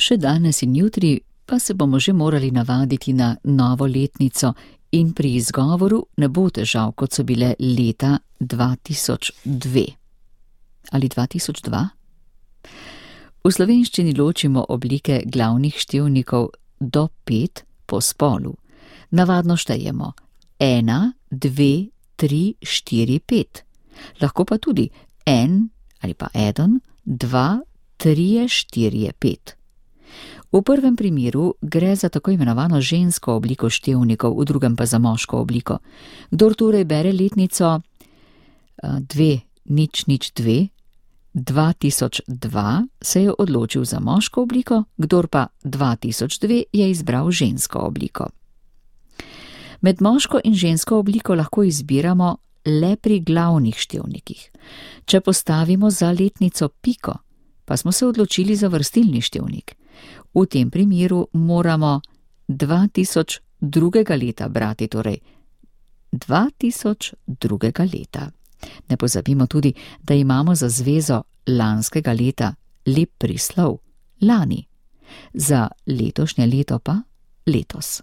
Še danes in jutri pa se bomo že morali navaditi na novo letnico in pri izgovoru ne bo težav, kot so bile leta 2002. Ali 2002? V slovenščini ločimo oblike glavnih števnikov do 5 po spolu. Navadno štejemo 1, 2, 3, 4, 5. Lahko pa tudi 1 ali pa 1, 2, 3, 4, 5. V prvem primeru gre za tako imenovano žensko obliko števnikov, v drugem pa za moško obliko. Kdor torej bere letnico 2002, 2002 se je odločil za moško obliko, kdor pa 2002 je izbral žensko obliko. Med moško in žensko obliko lahko izbiramo le pri glavnih števnikih. Če postavimo za letnico piko, pa smo se odločili za vrstilni števnik. V tem primeru moramo 2002. leta brati, torej 2002. leta. Ne pozabimo tudi, da imamo za zvezo lanskega leta lep prislov, lani, za letošnje leto pa letos.